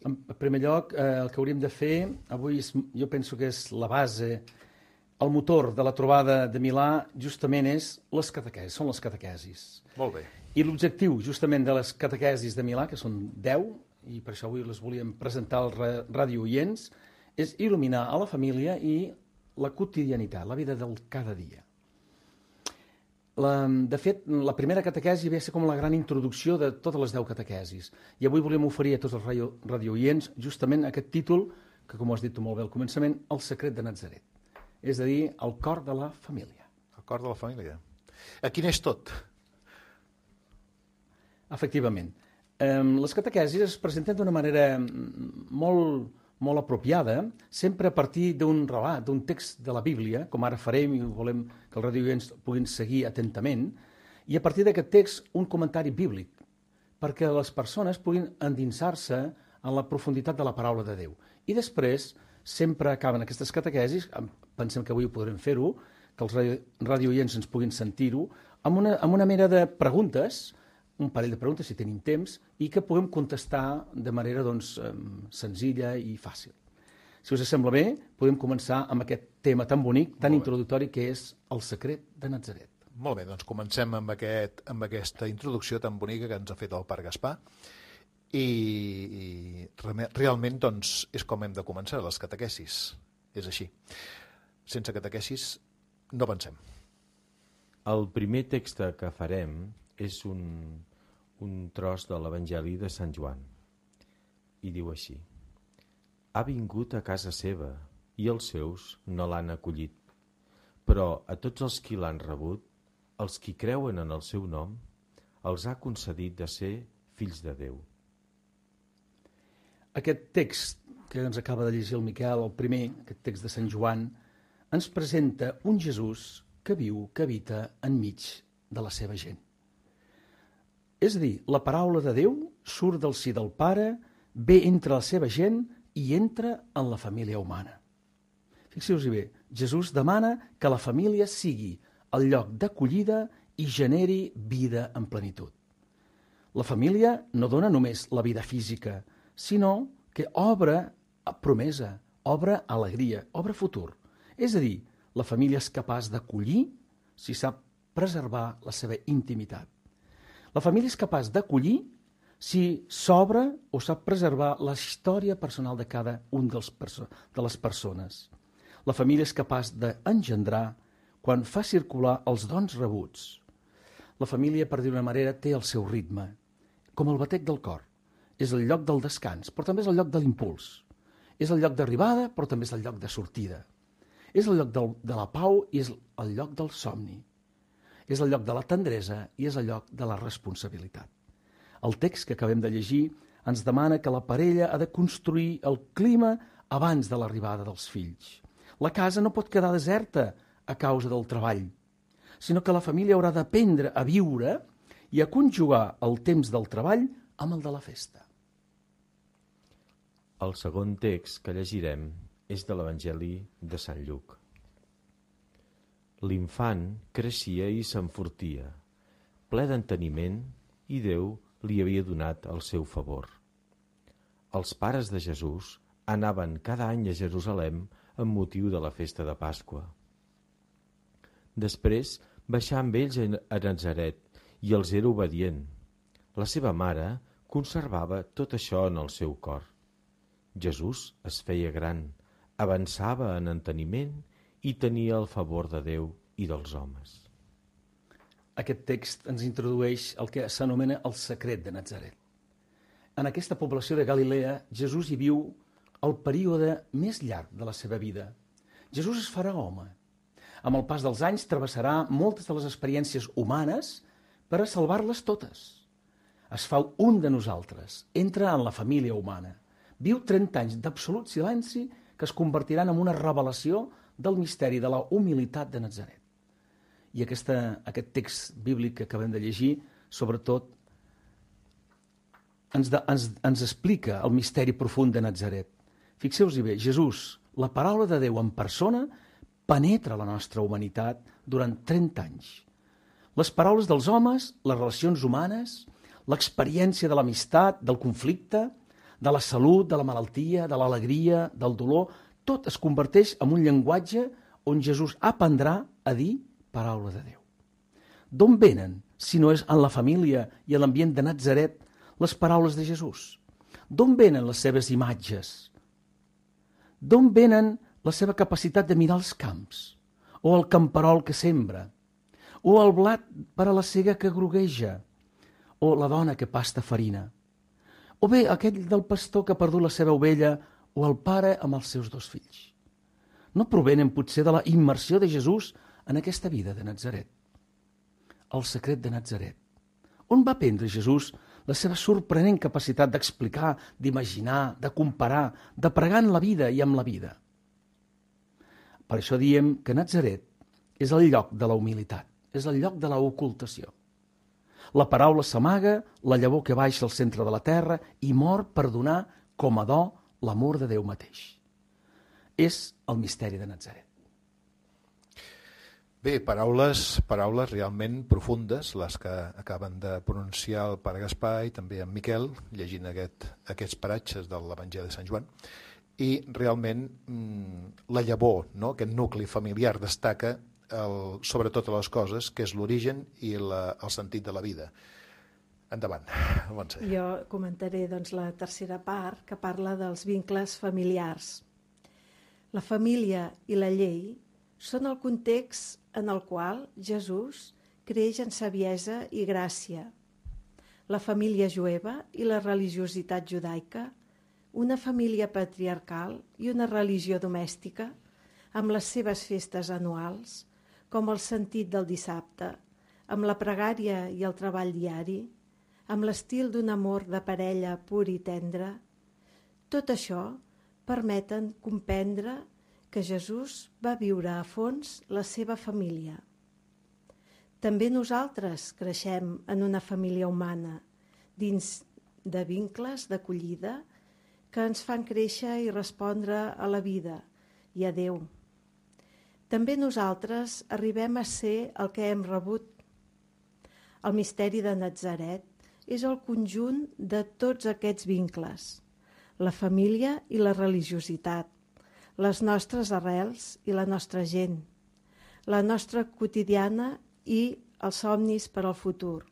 En primer lloc, el que hauríem de fer avui jo penso que és la base, el motor de la trobada de Milà justament és les catequesis, són les catequesis. Molt bé. I l'objectiu justament de les catequesis de Milà, que són 10, i per això avui les volíem presentar als radiooients, és il·luminar a la família i la quotidianitat, la vida del cada dia. De fet, la primera catequesi ve a ser com la gran introducció de totes les 10 catequesis. I avui volem oferir a tots els radiooients justament aquest títol, que com ho has dit tu molt bé al començament, El secret de Natzaret. És a dir, el cor de la família. El cor de la família. Aquí neix tot. Efectivament. Les catequesis es presenten d'una manera molt apropiada, sempre a partir d'un relat, d'un text de la Bíblia, com ara farem i volem que els radioients puguin seguir atentament, i a partir d'aquest text un comentari bíblic, perquè les persones puguin endinsar-se en la profunditat de la paraula de Déu. I després sempre acaben aquestes catequesis, pensem que avui ho podrem fer-ho, que els radioients ens puguin sentir-ho, amb una mena de preguntes, un parell de preguntes, si tenim temps, i que puguem contestar de manera senzilla i fàcil. Si us sembla bé, podem començar amb aquest tema tan bonic, tan introductori, que és el secret de Natzaret. Molt bé, doncs comencem amb aquesta introducció tan bonica que ens ha fet el pare Gaspar. I realment doncs, és com hem de començar les catequesis. És així. Sense catequesis no pensem. El primer text que farem és un tros de l'Evangeli de Sant Joan. I diu així: Ha vingut a casa seva i els seus no l'han acollit, però a tots els qui l'han rebut, els qui creuen en el seu nom, els ha concedit de ser fills de Déu. Aquest text que ens acaba de llegir el Miquel, el primer, aquest text de Sant Joan, ens presenta un Jesús que viu, que habita enmig de la seva gent. És a dir, la paraula de Déu surt del si del Pare, ve entre la seva gent i entra en la família humana. Fixeu-vos bé, Jesús demana que la família sigui el lloc d'acollida i generi vida en plenitud. La família no dona només la vida física, sinó que obre promesa, obre alegria, obre futur. És a dir, la família és capaç d'acollir si sap preservar la seva intimitat. La família és capaç d'acollir si s'obre o sap preservar la història personal de cada un de les persones. La família és capaç d'engendrar quan fa circular els dons rebuts. La família, per dir-ho d'una manera, té el seu ritme, com el batec del cor. És el lloc del descans, però també és el lloc de l'impuls. És el lloc d'arribada, però també és el lloc de sortida. És el lloc de la pau i és el lloc del somni. És el lloc de la tendresa i és el lloc de la responsabilitat. El text que acabem de llegir ens demana que la parella ha de construir el clima abans de l'arribada dels fills. La casa no pot quedar deserta a causa del treball, sinó que la família haurà d'aprendre a viure i a conjugar el temps del treball amb el de la festa. El segon text que llegirem és de l'Evangeli de Sant Lluc. L'infant creixia i s'enfortia, ple d'enteniment, i Déu li havia donat el seu favor. Els pares de Jesús anaven cada any a Jerusalem amb motiu de la festa de Pasqua. Després baixà amb ells a Natzaret i els era obedient. La seva mare conservava tot això en el seu cor. Jesús es feia gran, avançava en enteniment i tenia el favor de Déu i dels homes. Aquest text ens introdueix el que s'anomena el secret de Natzaret. En aquesta població de Galilea, Jesús hi viu el període més llarg de la seva vida. Jesús es farà home. Amb el pas dels anys travessarà moltes de les experiències humanes per a salvar-les totes. Es fa un de nosaltres, entra en la família humana. Viu 30 anys d'absolut silenci que es convertiran en una revelació del misteri de la humilitat de Natzaret. I aquest text bíblic que acabem de llegir, sobretot, ens explica el misteri profund de Natzaret. Fixeu-vos bé, Jesús, la paraula de Déu en persona, penetra la nostra humanitat durant 30 anys. Les paraules dels homes, les relacions humanes, l'experiència de l'amistat, del conflicte, de la salut, de la malaltia, de l'alegria, del dolor, tot es converteix en un llenguatge on Jesús aprendrà a dir paraula de Déu. D'on venen, si no és en la família i en l'ambient de Natzaret, les paraules de Jesús? D'on venen les seves imatges? D'on venen la seva capacitat de mirar els camps? O el camperol que sembra? O el blat per a la cega que grogueja? O la dona que pasta farina? O bé aquell del pastor que ha perdut la seva ovella, o el pare amb els seus 2 fills? No provenen potser de la immersió de Jesús en aquesta vida de Natzaret? El secret de Natzaret. On va aprendre Jesús la seva sorprenent capacitat d'explicar, d'imaginar, de comparar, de pregar en la vida i amb la vida? Per això diem que Natzaret és el lloc de la humilitat, és el lloc de la ocultació. La paraula s'amaga, la llavor que baixa al centre de la terra i mor per donar com a do l'amor de Déu mateix. És el misteri de Natzaret. Bé, paraules realment profundes, les que acaben de pronunciar el pare Gaspar i també en Miquel, llegint aquests paratges de l'Evangeli de Sant Joan. I realment la llavor, no? Aquest nucli familiar destaca sobre totes les coses, que és l'origen i el sentit de la vida. Endavant, Montse. Jo comentaré la tercera part, que parla dels vincles familiars. La família i la llei són el context en el qual Jesús creix en saviesa i gràcia. La família jueva i la religiositat judaica, una família patriarcal i una religió domèstica, amb les seves festes anuals, com el sentit del dissabte, amb la pregària i el treball diari, amb l'estil d'un amor de parella pur i tendre, tot això permeten comprendre que Jesús va viure a fons la seva família. També nosaltres creixem en una família humana, dins de vincles d'acollida que ens fan créixer i respondre a la vida i a Déu. També nosaltres arribem a ser el que hem rebut. El misteri de Natzaret és el conjunt de tots aquests vincles, la família i la religiositat, les nostres arrels i la nostra gent, la nostra quotidiana i els somnis per al futur.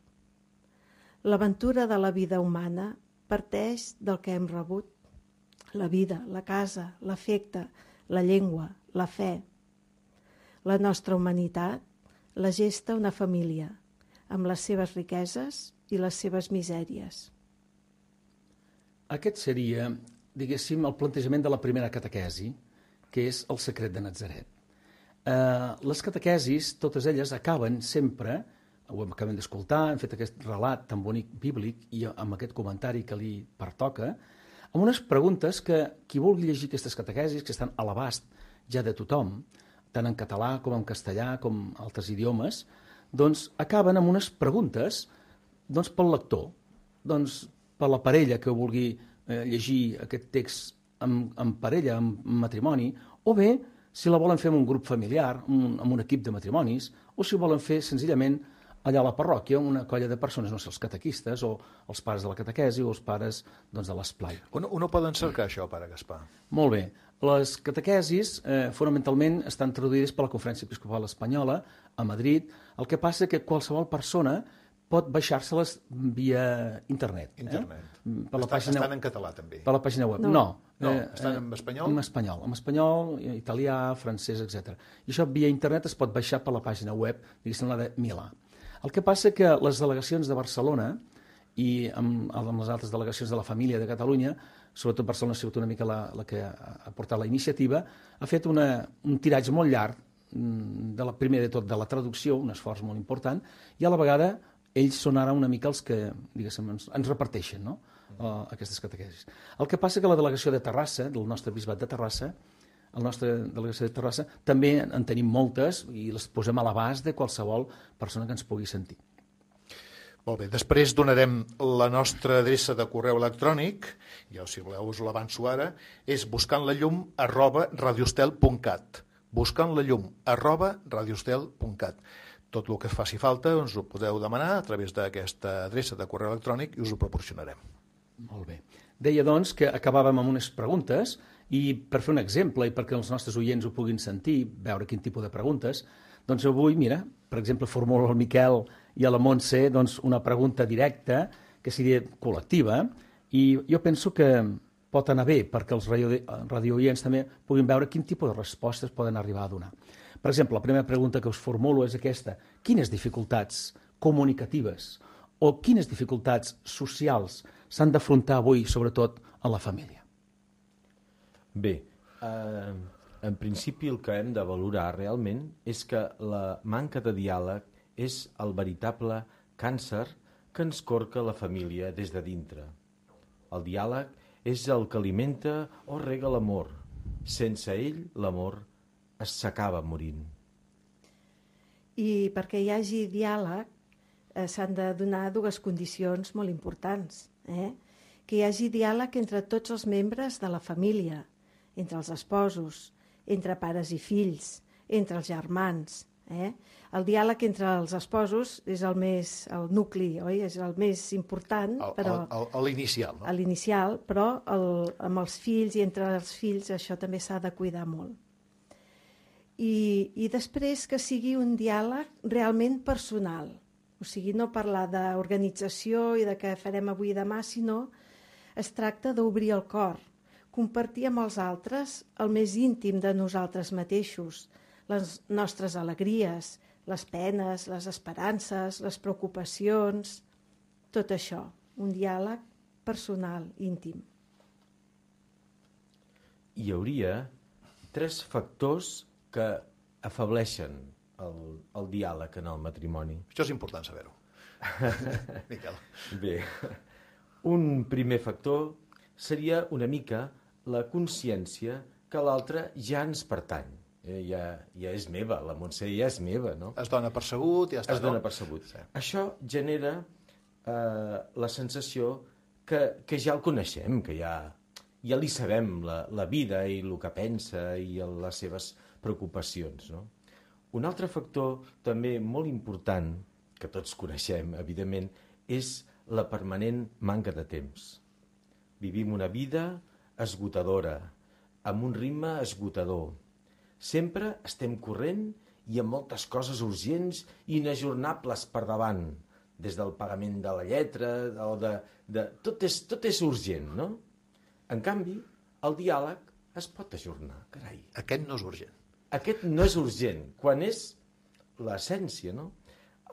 L'aventura de la vida humana parteix del que hem rebut. La vida, la casa, l'afecte, la llengua, la fe. La nostra humanitat la gesta una família, amb les seves riqueses i les seves misèries. Aquest seria, diguéssim, el plantejament de la primera catequesi, que és el secret de Natzaret. Les catequesis, totes elles, acaben sempre, ho acabem d'escoltar, hem fet aquest relat tan bonic bíblic i amb aquest comentari que li pertoca, amb unes preguntes que qui vulgui llegir aquestes catequesis, que estan a l'abast ja de tothom, tant en català com en castellà com altres idiomes, doncs acaben amb unes preguntes pel lector, per la parella que vulgui llegir aquest text en parella, en matrimoni, o bé si la volen fer en un grup familiar, amb un equip de matrimonis, o si ho volen fer senzillament allà a la parròquia, una colla de persones, no sé, els catequistes o els pares de la catequesi o els pares de l'esplai. On ho poden cercar, això, pare Gaspar? Molt bé. Les catequesis fonamentalment estan traduïdes per la Conferència Episcopal Espanyola a Madrid. El que passa és que qualsevol persona pot baixar-se-les via internet. Estan en català, també? Per la pàgina web. No, estan en espanyol? En espanyol, italià, francès, etc. I això via internet es pot baixar per la pàgina web, diguéssim, la de Milà. El que passa que les delegacions de Barcelona i amb les altres delegacions de la família de Catalunya, sobretot Barcelona ha sigut una mica la que ha portat la iniciativa, ha fet un tiratge molt llarg primer de tot de la traducció, un esforç molt important, i a la vegada ells són ara una mica els que, diguéssim, ens reparteixen, no? Aquestes catequesis. El que passa que la delegació de Terrassa, del nostre bisbat de Terrassa, la nostra delegació de Terrassa, també en tenim moltes i les posem a l'abast de qualsevol persona que ens pugui sentir. Molt bé, després donarem la nostra adreça de correu electrònic, ja si voleu us l'avanço ara, és buscantlallum@radiostel.cat, buscantlallum@radiostel.cat. Tot el que faci falta us ho podeu demanar a través d'aquesta adreça de correu electrònic i us ho proporcionarem. Molt bé. Deia, doncs, que acabàvem amb unes preguntes i per fer un exemple i perquè els nostres oients ho puguin sentir, veure quin tipus de preguntes, doncs avui, mira, per exemple, formulo al Miquel i a la Montse doncs, una pregunta directa, que seria col·lectiva, i jo penso que pot anar bé perquè els radiooients també puguin veure quin tipus de respostes poden arribar a donar. Per exemple, la primera pregunta que us formulo és aquesta. Quines dificultats comunicatives o quines dificultats socials s'han d'afrontar avui, sobretot, a la família? Bé, en principi el que hem de valorar realment és que la manca de diàleg és el veritable càncer que ens corca la família des de dintre. El diàleg és el que alimenta o rega l'amor. Sense ell, l'amor s'acaba morint. I perquè hi hagi diàleg s'han de donar dues condicions molt importants. Que hi hagi diàleg entre tots els membres de la família, entre els esposos, entre pares i fills, entre els germans. El diàleg entre els esposos és el nucli, oi? És el més important. L'inicial, no? L'inicial, però amb els fills i entre els fills això també s'ha de cuidar molt. I després que sigui un diàleg realment personal. O sigui, no parlar d'organització i de què farem avui i demà, sinó es tracta d'obrir el cor, compartir amb els altres el més íntim de nosaltres mateixos, les nostres alegries, les penes, les esperances, les preocupacions, tot això, un diàleg personal, íntim. Hi hauria 3 factors que afableixen el diàleg en el matrimoni. Això és important saber-ho. Miquel. Bé, un primer factor seria una mica la consciència que l'altre ja ens pertany. Ja és meva, la Montse ja és meva, no? Es dona percebut i ja està. Es dona percebut. Sí. Això genera la sensació que ja el coneixem, que ja li sabem la vida i el que pensa i les seves preocupacions, no? Un altre factor també molt important, que tots coneixem, evidentment, és la permanent manca de temps. Vivim una vida esgotadora, amb un ritme esgotador. Sempre estem corrent i amb moltes coses urgents i inajornables per davant, des del pagament de la lletra o tot és urgent, no? En canvi, el diàleg es pot ajornar, carai. Aquest no és urgent. Aquest no és urgent, quan és l'essència, no?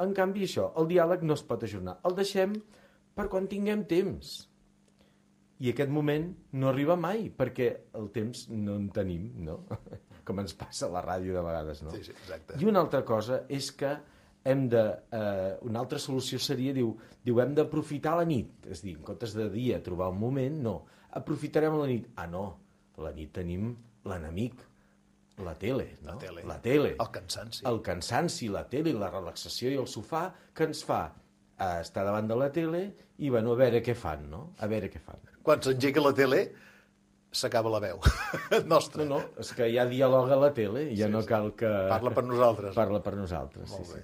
En canvi, això, el diàleg no es pot ajornar. El deixem per quan tinguem temps. I aquest moment no arriba mai, perquè el temps no en tenim, no? Com ens passa a la ràdio de vegades, no? Sí, exacte. I una altra cosa és que una altra solució seria, diu, hem d'aprofitar la nit. És a dir, en comptes de dia trobar un moment, no. Aprofitarem la nit. Ah, no, la nit tenim l'enemic, la tele, no? La tele. El cansanci. El cansanci, la tele, la relaxació i el sofà, que ens fa estar davant de la tele i, bueno, a veure què fan, no? A veure què fan. Quan s'engega la tele, s'acaba la veu nostra. No, és que ja dialoga la tele, ja no cal que... Parla per nosaltres. Parla per nosaltres, Molt bé.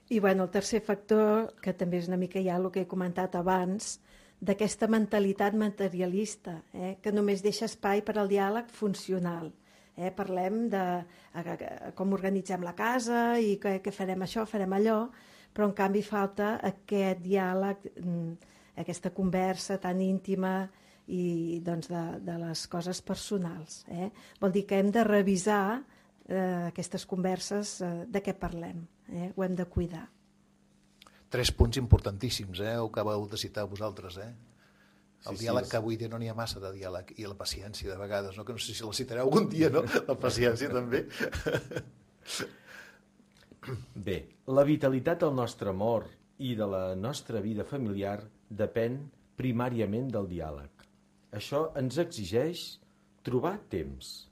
I, bueno, el tercer factor, que també és una mica ja el que he comentat abans, d'aquesta mentalitat materialista, que només deixa espai per al diàleg funcional. Parlem de com organitzem la casa i què farem això, farem allò, però en canvi falta aquest diàleg, aquesta conversa tan íntima i doncs, de les coses personals. Vol dir que hem de revisar aquestes converses de què parlem. Ho hem de cuidar. 3 punts importantíssims, ho acabeu de citar vosaltres. El diàleg, que avui dia no n'hi ha massa de diàleg, i la paciència de vegades, no? Que no sé si la citareu algun dia, no? La paciència també. Bé, la vitalitat del nostre amor i de la nostra vida familiar depèn primàriament del diàleg. Això ens exigeix trobar temps.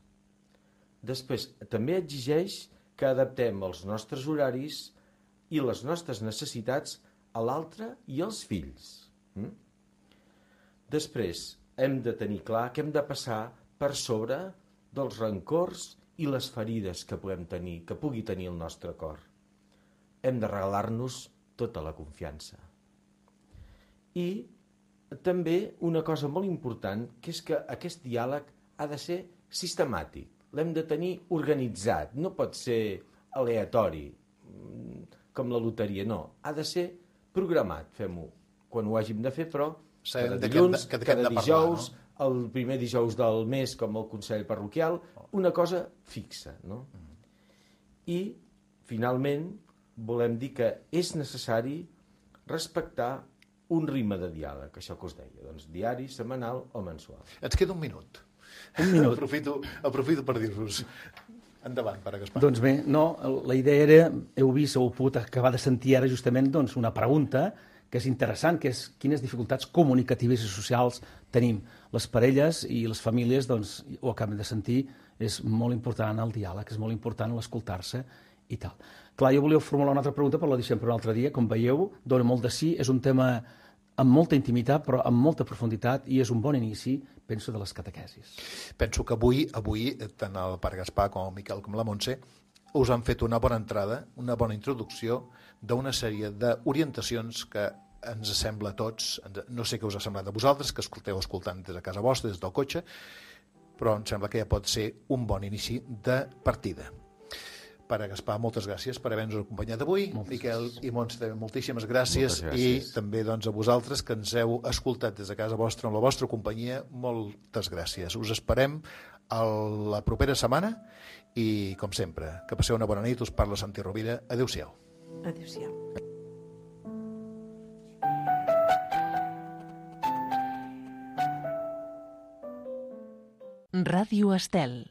Després, també exigeix que adaptem els nostres horaris i les nostres necessitats a l'altre i als fills. Després, hem de tenir clar que hem de passar per sobre dels rancors i les ferides que puguem tenir, que pugui tenir el nostre cor. Hem de regalar-nos tota la confiança. I també una cosa molt important, que és que aquest diàleg ha de ser sistemàtic. L'hem de tenir organitzat, no pot ser aleatori, com la loteria, no. Ha de ser programat, fem-ho quan ho hàgim de fer, però cada dilluns, cada dijous, el primer dijous del mes, com el Consell Parroquial, una cosa fixa, no? I, finalment, volem dir que és necessari respectar un ritme de diàleg, això que us deia, doncs diari, setmanal o mensual. Ens queda un minut. Un minut. Aprofito per dir-vos. Endavant, Pare Gaspar. Doncs bé, no, la idea era, heu vist, heu pogut acabar de sentir ara justament doncs, una pregunta que és interessant, que és quines dificultats comunicatives i socials tenim. Les parelles i les famílies, doncs, ho acabem de sentir, és molt important el diàleg, és molt important l'escoltar-se i tal. Clar, jo volia formular una altra pregunta, però la deixem per un altre dia. Com veieu, dona molt de sí, és un tema amb molta intimitat, però amb molta profunditat, i és un bon inici, penso, de les catequesis. Penso que avui tant el Pare Gaspar com el Miquel com la Montse us han fet una bona entrada, una bona introducció d'una sèrie d'orientacions que ens sembla a tots, no sé què us ha semblat a vosaltres, que escoltant des de casa vostra, des del cotxe, però em sembla que ja pot ser un bon inici de partida. Pare Gaspar, moltes gràcies per haver-nos acompanyat avui. Miquel i Montse, també moltíssimes gràcies. I també doncs, a vosaltres que ens heu escoltat des de casa vostra, amb la vostra companyia, moltes gràcies. Us esperem a la propera setmana i, com sempre, que passeu una bona nit. Us parla Santi Rovira. Adéu-siau. Adéu-siau. Ràdio Estel.